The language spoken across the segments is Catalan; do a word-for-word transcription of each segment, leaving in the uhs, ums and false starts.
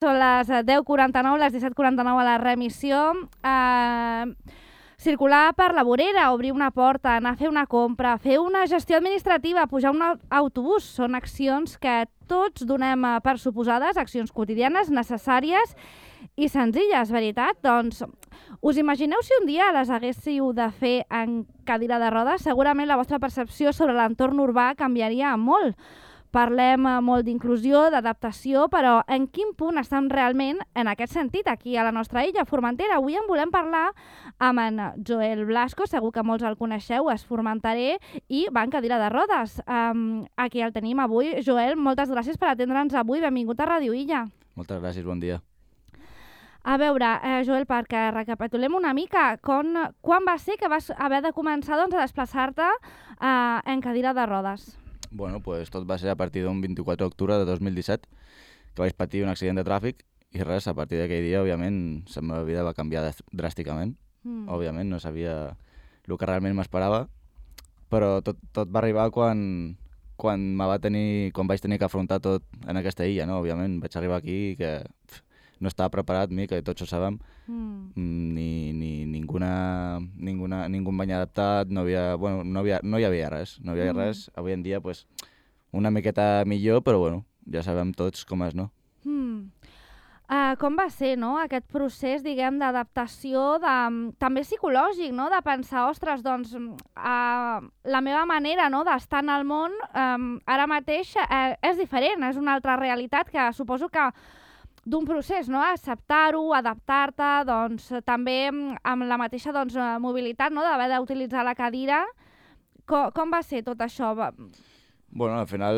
Són les deu quaranta-nou, les disset quaranta-nou a la remissió. Eh, circular per la vorera, obrir una porta, anar a fer una compra, fer una gestió administrativa, pujar un autobús. Són accions que tots donem per suposades, accions quotidianes, necessàries i senzilles, veritat? Doncs us imagineu si un dia les haguéssiu de fer en cadira de rodes? Segurament la vostra percepció sobre l'entorn urbà canviaria molt. Parlem molt d'inclusió, d'adaptació, però en quin punt estem realment en aquest sentit aquí a la nostra illa, Formentera? Avui en volem parlar amb en Joel Blasco, segur que molts el coneixeu, és formenterer i va en cadira de rodes. Um, aquí el tenim avui. Joel, moltes gràcies per atendre'ns avui. Benvingut a Ràdio Illa. Moltes gràcies, bon dia. A veure, eh, Joel, perquè recapitulem una mica, quan, quan va ser que vas haver de començar doncs, a desplaçar-te eh, en cadira de rodes? Bueno, pues tot va ser a partir d'un vint-i-quatre d'octubre de dos mil disset, que vaig patir un accident de tràfic i res, a partir d'aquell dia, òbviament, la meva vida va canviar dràsticament. Mm. Òbviament, no sabia el que realment m'esperava, però tot, tot va arribar quan, quan, va tenir, quan vaig tenir que afrontar tot en aquesta illa, no? Òbviament, vaig arribar aquí que pf, no estava preparat, ni que tots ho sabem, mm. ni, ni ninguna, ninguna, ningú em vaig adaptat, no, havia, bueno, no, havia, no hi havia res, no hi havia mm. res. Avui en dia, pues, una miqueta millor, però bueno, ja sabem tots com és, no? Mm. Uh, com va ser, no?, aquest procés, diguem, d'adaptació, de, també psicològic, no?, de pensar, ostres, doncs, uh, la meva manera, no?, d'estar en el món um, ara mateix uh, és diferent, és una altra realitat que suposo que d'un procés, no?, acceptar-ho, adaptar-te, doncs, també amb la mateixa doncs, mobilitat, no?, d'haver d'utilitzar la cadira. Com, com va ser tot això? Bueno, al final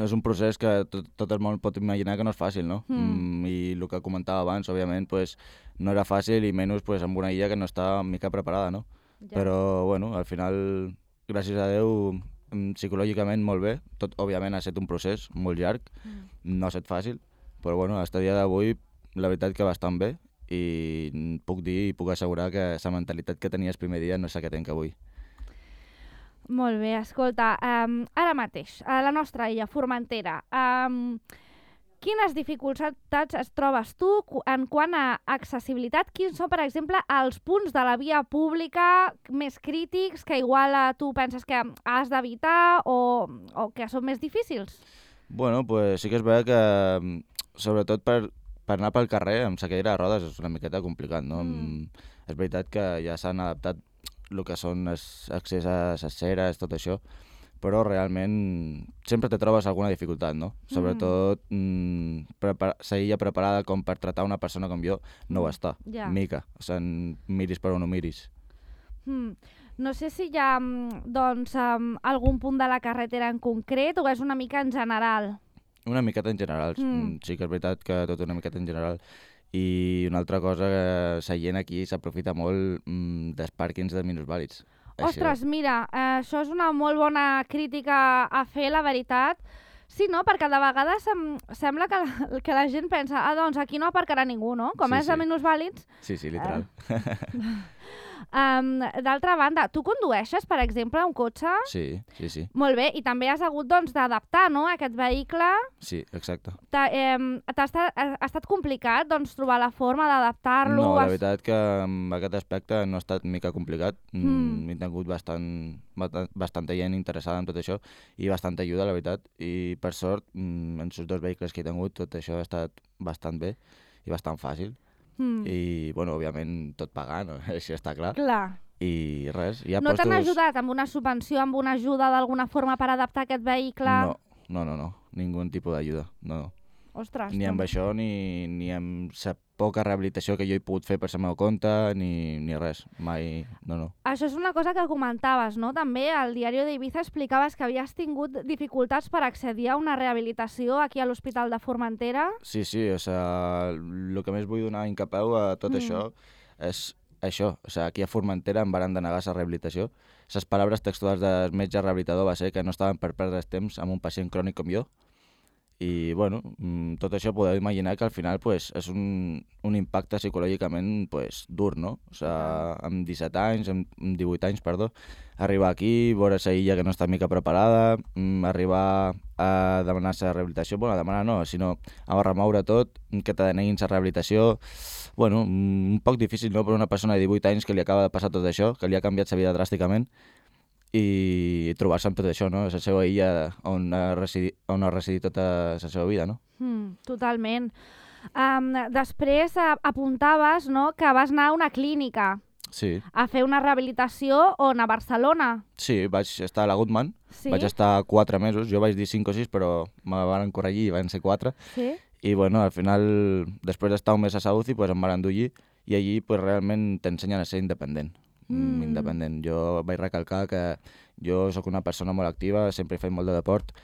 és un procés que tot, tot el món pot imaginar que no és fàcil, no? Mm. Mm, I el que comentava abans, òbviament, pues, no era fàcil i menys pues, amb una illa que no està mica preparada, no? Ja. Però, bueno, al final, gràcies a Déu, psicològicament molt bé. Tot, òbviament, ha estat un procés molt llarg, mm. no ha estat fàcil, però, bueno, fins a dia d'avui, la veritat que bastant bé i puc dir i puc assegurar que la mentalitat que tenia el primer dia no és la que tenc avui. Molt bé, escolta, um, ara mateix, a la nostra illa, Formentera, um, quines dificultats es trobes tu en quant a accessibilitat? Quins són, per exemple, els punts de la via pública més crítics que igual tu penses que has d'evitar o, o que són més difícils? Bueno, pues sí que és veritat que, sobretot per, per anar pel carrer amb la cadira de rodes és una miqueta complicat, no? Mm. És veritat que ja s'han adaptat el que són accés a les ceres, tot això, però realment sempre te trobes alguna dificultat, no? Mm. Sobretot mm, la illa preparada com per tratar una persona com jo no ho està, yeah. mica, o sigui, miris per on ho miris. Mm. No sé si hi ha doncs, um, algun punt de la carretera en concret o és una mica en general? Una miqueta en general, mm. sí que és veritat que tot una miqueta en general. I una altra cosa, que la gent aquí s'aprofita molt mm, dels pàrquings de minusvàlids. Ostres, això... mira, eh, això és una molt bona crítica a fer, la veritat. Sí, no? Perquè de vegades sem sembla que la, que la gent pensa ah, doncs aquí no aparcarà ningú, no? Com sí, és sí. de minusvàlids... Sí, sí, literal. Eh... Um, D'altra banda, tu condueixes, per exemple, un cotxe? Sí, sí, sí. Molt bé, i també has hagut doncs, d'adaptar, no?, aquest vehicle. Sí, exacte. Ha eh, estat, ha estat complicat doncs, trobar la forma d'adaptar-lo? No, la veritat que en aquest aspecte no ha estat mica complicat. Mm. He tingut bastant, bastanta gent interessada en tot això i bastanta ajuda, la veritat. I per sort, en els dos vehicles que he tingut, tot això ha estat bastant bé i bastant fàcil. Mm. I, bueno, òbviament, tot pagant, no? Això està clar. Clar. I res, hi ha no postos... t'han ajudat amb una subvenció, amb una ajuda d'alguna forma per adaptar aquest vehicle? No, no, no, no. Ningú tipus d'ajuda, no, no. Ostres. Ni amb això, ni, ni amb la poca rehabilitació que jo he pogut fer per la meva compte, ni, ni res, mai, no, no. Això és una cosa que comentaves, no? També al diari d'Ibiza explicaves que havies tingut dificultats per accedir a una rehabilitació aquí a l'Hospital de Formentera. Sí, sí, o sigui, el que més vull donar incapeu a tot mm. això és això, o sigui, aquí a Formentera em van denegar la rehabilitació. Les paraules textuals del metge rehabilitador va ser que no estaven per perdre temps amb un pacient crònic com jo I, bueno, tot això podeu imaginar que al final pues, és un, un impacte psicològicament pues, dur, no? O sigui, amb disset anys, amb divuit anys, perdó, arribar aquí, veure la illa que no està mica preparada, arribar a demanar la rehabilitació, bueno, a demanar no, sinó a remoure tot, que te deneguin la rehabilitació, bueno, un poc difícil, no?, per una persona de divuit anys que li acaba de passar tot això, que li ha canviat la vida dràsticament, i trobar-se amb tot això, no? La seva illa on ha residit, on ha residit tota la seva vida, no? Mm, totalment. Um, després uh, apuntaves, no?, que vas anar a una clínica sí. a fer una rehabilitació on, a Barcelona. Sí, vaig estar a la Goodman, sí. vaig estar quatre mesos, jo vaig dir cinc o sis, però me van corregir i van ser quatre. Sí. I bueno, al final, després d'estar un mes a Saúzi, pues, em van endur allí, i allí pues, realment t'ensenyen a ser independent. Mm. independent. Jo vaig recalcar que jo sóc una persona molt activa, sempre he fet molt de deport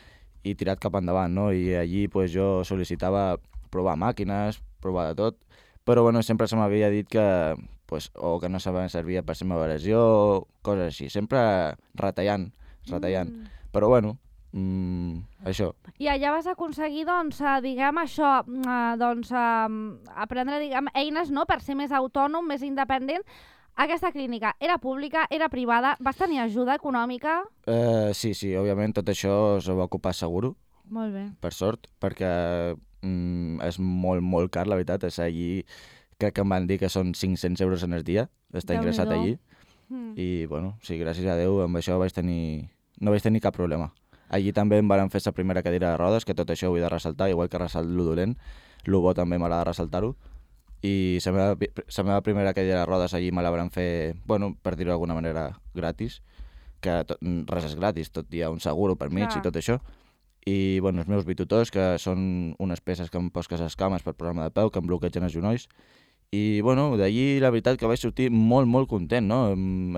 i tirat cap endavant, no? I allí pues, jo sol·licitava provar màquines, provar de tot, però bueno, sempre se m'havia dit que pues, o que no sabia servir per la meva lesió, coses així, sempre retallant, retallant. Mm. Però bueno, mm, això. I allà vas aconseguir, doncs, diguem això, doncs, aprendre, diguem, eines, no?, per ser més autònom, més independent. Aquesta clínica era pública, era privada, vas tenir ajuda econòmica? Uh, sí, sí, òbviament tot això s'ho va ocupar Seguro. Molt bé. Per sort, perquè mm, és molt, molt car, la veritat. És allí, crec que em van dir que són cinc-cents euros en el dia, d'estar ingressat allí. Mm. I, bueno, sí, gràcies a Déu, amb això vaig tenir... no vaig tenir cap problema. Allí també em van fer la primera cadira de rodes, que tot això ho he de ressaltar, igual que ressalt lo dolent, lo bo també m'agrada ressaltar-ho. I la meva, la meva primera cadira de rodes allí me la van fer, bueno, per dir-ho d'alguna manera, gratis, que tot, res és gratis, tot hi ha un seguro per mig Clar. I tot això. I, bueno, els meus bitutors, que són unes peces que em posques les cames per programa de peu, que em bloquegen els genolls. I, bueno, d'allí la veritat que vaig sortir molt, molt content, no?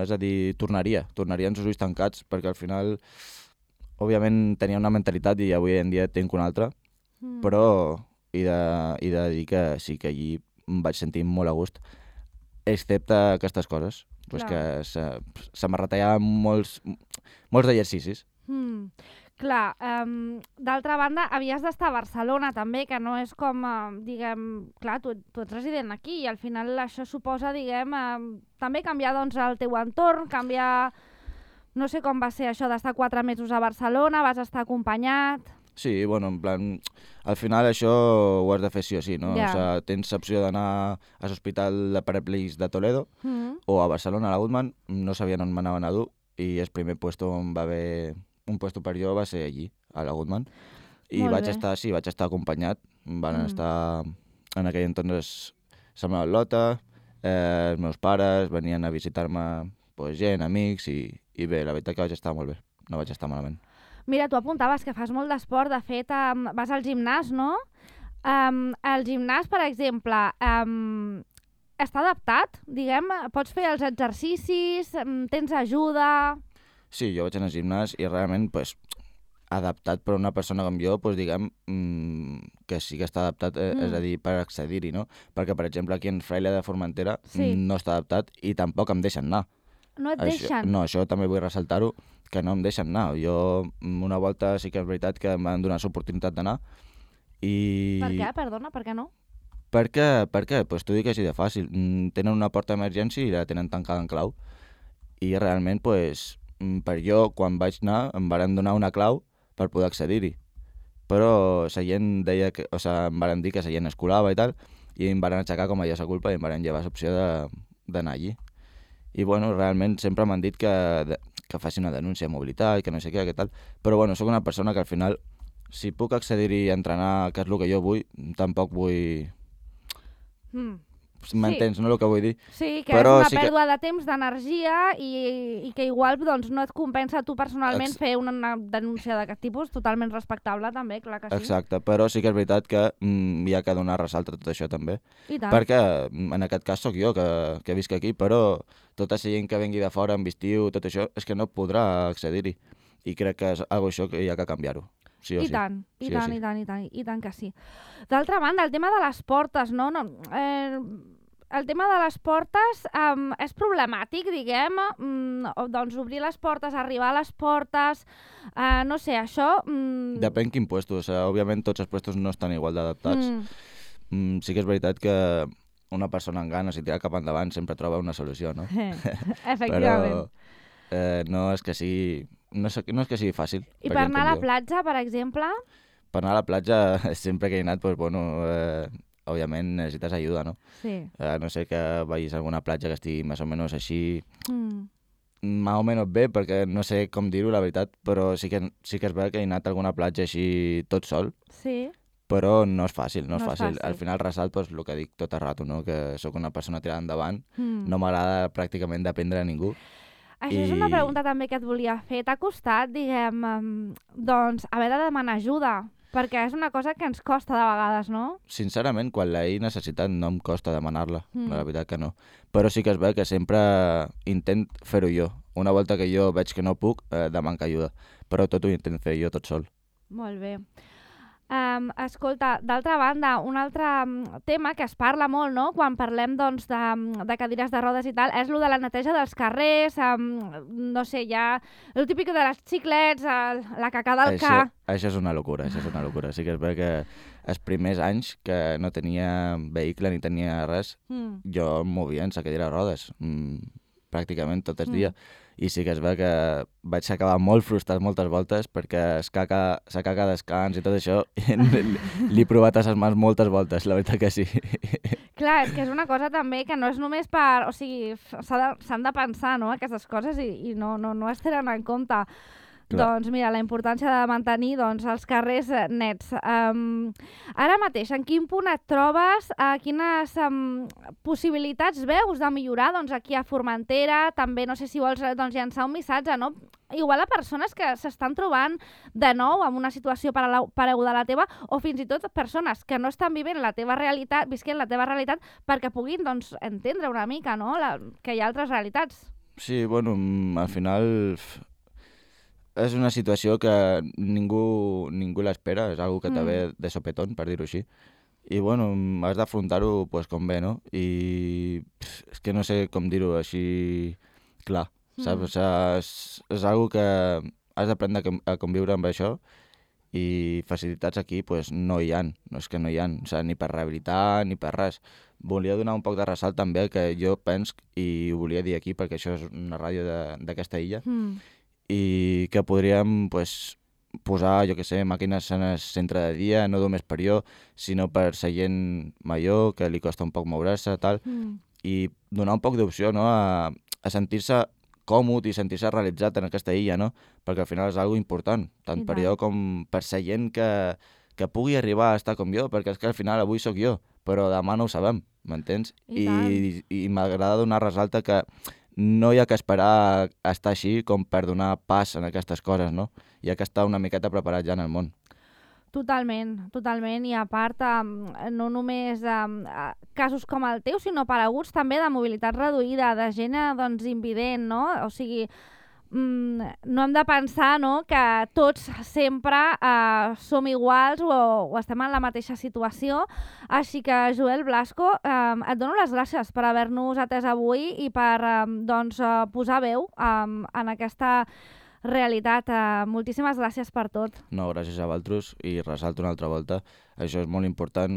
És a dir, tornaria, tornaria amb els ulls tancats, perquè al final, òbviament, tenia una mentalitat i avui en dia tinc una altra, mm. però he de, he de dir que sí que allí em vaig sentir molt a gust, excepte aquestes coses, pues que se, se me retallaven molts, molts exercicis. Mm. Clar, um, d'altra banda, havies d'estar a Barcelona també, que no és com, uh, diguem, clar, tu, tu ets resident aquí i al final això suposa, diguem, uh, també canviar doncs, el teu entorn, canviar, no sé com va ser això d'estar quatre mesos a Barcelona, vas estar acompanyat... Sí, bueno, en plan, al final això ho has de fer sí o sí, no? Yeah. O sigui, tens l'opció d'anar a l'Hospital de Paraplegics de Toledo mm. o a Barcelona, a la Goodman, no sabien on m'anaven a dur i el primer puesto on va haver un puesto per jo va ser allí, a la Goodman. I Molt vaig bé. estar, sí, vaig estar acompanyat, van mm. estar en aquell entonces la meva lota, eh, els meus pares venien a visitar-me pues, gent, amics i, i bé, la veritat que vaig estar molt bé, no vaig estar malament. Mira, tu apuntaves que fas molt d'esport, de fet, um, vas al gimnàs, no? Um, el gimnàs, per exemple, um, està adaptat, diguem? Pots fer els exercicis, um, tens ajuda... Sí, jo vaig anar al gimnàs i realment, pues, adaptat per una persona com jo, pues, diguem, mmm, que sí que està adaptat, eh, mm. és a dir, per accedir-hi, no? Perquè, per exemple, aquí en Fraile de Formentera sí. no està adaptat i tampoc em deixen anar. No et això, deixen? No, això també vull ressaltar-ho, que no em deixen anar. Jo una volta sí que és veritat que em van donar l'oportunitat d'anar i... Per què? Perdona, per què no? Per què? Per què? Pues t'ho dic així de fàcil. Tenen una porta d'emergència i la tenen tancada en clau. I realment, pues, per jo, quan vaig anar, em van donar una clau per poder accedir-hi. Però la gent deia que... O sigui, em van dir que la gent es colava i tal, i em van aixecar com a ja sa culpa i em van llevar l'opció d'anar allí. I, bueno, realment sempre m'han dit que, que faci una denúncia de mobilitat, que no sé què, que tal. Però, bueno, sóc una persona que al final, si puc accedir-hi a entrenar, que és el que jo vull, tampoc vull... Mm. M'entens, sí. no, el que vull dir? Sí, que Però és una sí pèrdua que... de temps, d'energia i, i que igual doncs, no et compensa tu personalment Ex... fer una, una denúncia d'aquest tipus, totalment respectable també, clar que sí. Exacte, però sí que és veritat que mm, hi ha que donar ressalt a tot això també. I tant. Perquè en aquest cas sóc jo que, que visc aquí, però tota la gent que vengui de fora amb estiu, tot això, és que no podrà accedir-hi. I crec que és algo això que hi ha que canviar-ho. Sí o I sí. tant, i sí tant, sí. i tant, i tant, i tant que sí. D'altra banda, el tema de les portes, no? no eh, el tema de les portes um, és problemàtic, diguem, um, doncs obrir les portes, arribar a les portes, uh, no sé, això... Um... Depèn quin puesto, o sigui, òbviament tots els puestos no estan igual d'adaptats. Mm. Mm, sí que és veritat que una persona amb ganes i tirar cap endavant sempre troba una solució, no? Efectivament. Però eh, no és que sigui, no és, no és que sigui fàcil. I per anar a la platja, per exemple? Per anar a la platja, sempre que he anat, doncs, bueno, eh, òbviament necessites ajuda, no? Sí. Eh, no sé que vagis a alguna platja que estigui més o menys així... Mm. Més o menys bé, perquè no sé com dir-ho, la veritat, però sí que, sí que és bé que he anat a alguna platja així tot sol. Sí. Però no és fàcil, no és, no fàcil. és fàcil. Al final resalt pues, el que dic tot el rato, no? Que sóc una persona tirada endavant, mm. no m'agrada pràcticament dependre de ningú. Això I... és una pregunta també que et volia fer. T'ha costat, diguem, doncs, haver de demanar ajuda? Perquè és una cosa que ens costa de vegades, no? Sincerament, quan l'he necessitat no em costa demanar-la, mm. la veritat que no. Però sí que és bé que sempre intent fer-ho jo. Una volta que jo veig que no puc, eh, demano ajuda. Però tot ho intent fer jo tot sol. Molt bé. Um, escolta, d'altra banda, un altre tema que es parla molt, no?, quan parlem doncs, de, de cadires de rodes i tal, és el de la neteja dels carrers, um, no sé, ja el típic de les xiclets, el, la cacada al això, ca... Això és una locura, això és una locura. Sí que és bé que els primers anys que no tenia vehicle ni tenia res, mm. jo em movia en sa cadira de rodes, mm, pràcticament tot el dia. Mm. I sí que és bé que vaig acabar molt frustrat moltes voltes perquè es caca, sa caca descans i tot això l'he provat a ses mans moltes voltes, la veritat que sí. Clar, és que és una cosa també que no és només per... O sigui, s'han de, de pensar, no?, aquestes coses i, i no, no, no es tenen en compte. Clar. Doncs mira, la importància de mantenir doncs, els carrers nets. Um, ara mateix, en quin punt et trobes? Uh, quines um, possibilitats veus de millorar doncs, aquí a Formentera? També no sé si vols doncs, llançar un missatge, no? Igual a persones que s'estan trobant de nou en una situació pareguda a la teva o fins i tot persones que no estan vivint la teva realitat, visquent la teva realitat perquè puguin doncs, entendre una mica, no?, la, que hi ha altres realitats. Sí, bueno, al final... És una situació que ningú, ningú l'espera, és una que te ve mm. de sopetón, per dir-ho així. I, bueno, has d'afrontar-ho pues, com bé, no? I pff, és que no sé com dir-ho així clar, mm. saps? O sigui, és, és una que has d'aprendre a conviure amb això i facilitats aquí pues, no hi ha, no és que no hi ha, o sigui, ni per rehabilitar ni per res. Volia donar un poc de ressalt també que jo penso, i ho volia dir aquí perquè això és una ràdio d'aquesta illa, mm. i que podríem pues, posar, jo que sé, màquines en el centre de dia, no només per jo, sinó per la gent major, que li costa un poc moure-se, tal, mm. i donar un poc d'opció, no?, a, a sentir-se còmode i sentir-se realitzat en aquesta illa, no?, perquè al final és una cosa important, tant I per tant. jo com per la gent que, que pugui arribar a estar com jo, perquè és que al final avui sóc jo, però demà no ho sabem, m'entens? I, I, i m'agrada donar ressalta que no hi ha que esperar a estar així com per donar pas en aquestes coses, no? Hi ha que estar una miqueta preparat ja en el món. Totalment, totalment. I a part, no només casos com el teu, sinó pareguts també de mobilitat reduïda, de gent doncs, invident, no? O sigui, no hem de pensar no, que tots sempre eh, som iguals o, o estem en la mateixa situació. Així que, Joel Blasco, eh, et dono les gràcies per haver-nos atès avui i per eh, doncs, eh, posar veu eh, en aquesta realitat. Eh, moltíssimes gràcies per tot. No, gràcies a vosaltres i ressalto una altra volta. Això és molt important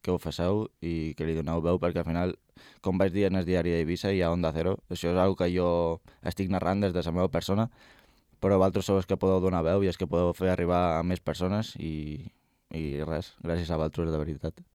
que ho faceu i que li doneu veu perquè al final, com vaig dir en el diari d'Eivissa i a Onda Cero, això és una que jo estic narrant des de la meva persona, però vosaltres sou els que podeu donar veu i els que podeu fer arribar a més persones i, i res, gràcies a vosaltres de veritat.